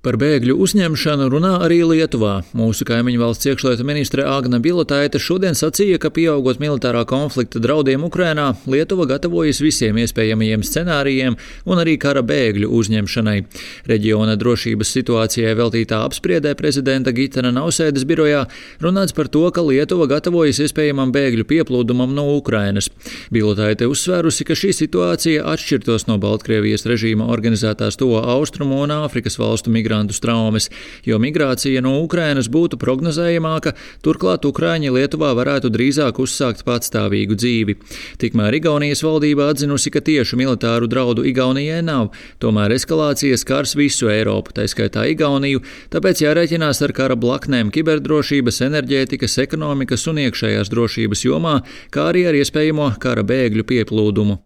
Par bēgļu uzņemšanu runā arī Lietuvā. Mūsu kaimiņu valsts iekšlietu ministre Agne Bilotaite šodien sacīja, ka pieaugot militārā konflikta draudiem Ukrainā, Lietuva gatavojas visiem iespējamajiem scenārijiem un arī kara bēgļu uzņemšanai. Reģiona drošības situācijai veltītā apspriedē prezidenta Gitana Nausēdas birojā runāts par to, ka Lietuva gatavojas iespējamam bēgļu pieplūdumam no Ukrainas. Bilotaite uzsvērusi, ka šī situācija atšķirtos no Baltkrievijas režīma organizētās Tuvo Austrumu un Āfrikas valstu migrantu traumas, jo migrācija no Ukrainas būtu prognozējamāka, turklāt Ukraiņi Lietuvā varētu drīzāk uzsākt patstāvīgu dzīvi. Tikmēr Igaunijas valdība atzinusi, ka tiešu militāru draudu Igaunijai nav, tomēr eskalācija skars visu Eiropu, tā skaitā Igauniju, tāpēc jārēķinās ar kara blaknēm kiberdrošības, enerģētikas, ekonomikas un iekšējās drošības jomā, kā arī ar iespējamo kara bēgļu pieplūdumu.